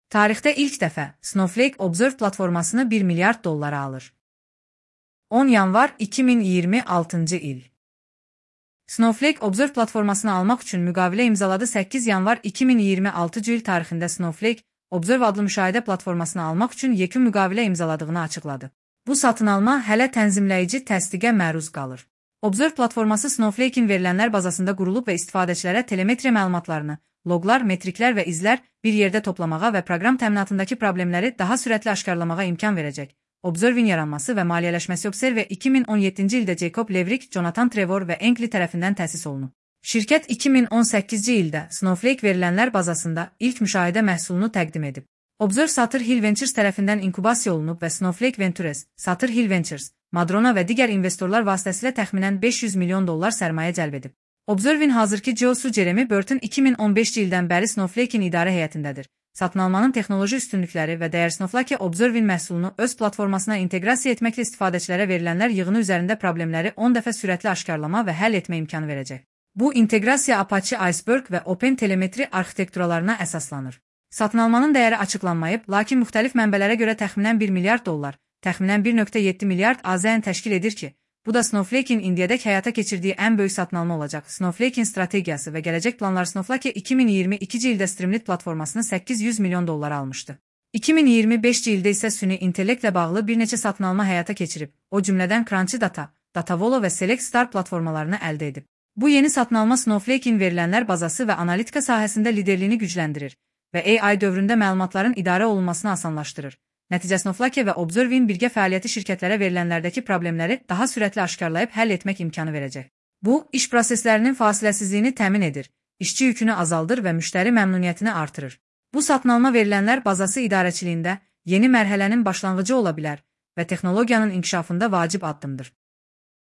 Tarixdə ilk dəfə Snowflake Observe platformasını $1 milyard alır. 10 yanvar 2026 il. Snowflake Observe platformasını almaq üçün müqavilə imzaladı. 8 yanvar 2026 il tarixində Snowflake Observe adlı müşahidə platformasını almaq üçün yekun müqavilə imzaladığını açıqladı. Bu satın alma hələ tənzimləyici təsdiqə məruz qalır. Observe platforması Snowflake-in verilənlər bazasında qurulub və istifadəçilərə telemetriya məlumatlarını, loqlar, metriklər və izlər bir yerdə toplamağa və proqram təminatındakı problemləri daha sürətli aşkarlamağa imkan verəcək. Observe-in yaranması və maliyyələşməsi Observe 2017-ci ildə Jacob Levrick, Jonathan Trevor və Enkli tərəfindən təsis olunub. Şirkət 2018-ci ildə Snowflake verilənlər bazasında ilk müşahidə məhsulunu təqdim edib. Observe Sutter Hill Ventures tərəfindən inkubasiya olunub və Snowflake Ventures, Sutter Hill Ventures, Madrona və digər investorlar vasitəsilə təxminən $500 milyon sərmayə cəlb edib. Observe-in hazırki CEO-su Jeremy Burton 2015-ci ildən bəri Snowflake-in idarə heyətindədir. Satın almanın texnoloji üstünlükləri və dəyər Snowflake Observe-in məhsulunu öz platformasına inteqrasiya etməklə istifadəçilərə verilənlər yığını üzərində problemləri 10 dəfə sürətli aşkarlama və həll etmə imkanı verəcək. Bu inteqrasiya Apache Iceberg və Open Telemetri arxitekturalarına əsaslanır. Satın almanın dəyəri açıqlanmayıb, lakin müxtəlif mənbələrə görə təxminən $1 milyard, təxminən 1.7 milyard AZN təşkil edir ki, bu da Snowflake-in indiyədək həyata keçirdiyi ən böyük satın alma olacaq. Snowflake-in strategiyası və gələcək planları Snowflake 2022-ci ildə Streamlit platformasını $800 milyon almışdı. 2025-ci ildə isə süni intellektlə bağlı bir neçə satın alma həyata keçirib, o cümlədən Crunchy Data, Datavolo və Select Star platformalarını əldə edib. Bu yeni satın alma Snowflake-in verilənlər bazası və analitika sahəsində liderliyini gücləndirir və AI dövründə məlumatların idarə olunmasını asanlaşdırır. Nəticə Snowflake və Observe-in birgə fəaliyyəti şirkətlərə verilənlərdəki problemləri daha sürətli aşkarlayıb həll etmək imkanı verəcək. Bu, iş proseslərinin fasiləsizliyini təmin edir, işçi yükünü azaldır və müştəri məmnuniyyətini artırır. Bu satın alma verilənlər bazası idarəçiliyində yeni mərhələnin başlanğıcı ola bilər və texnologiyanın inkişafında vacib addımdır.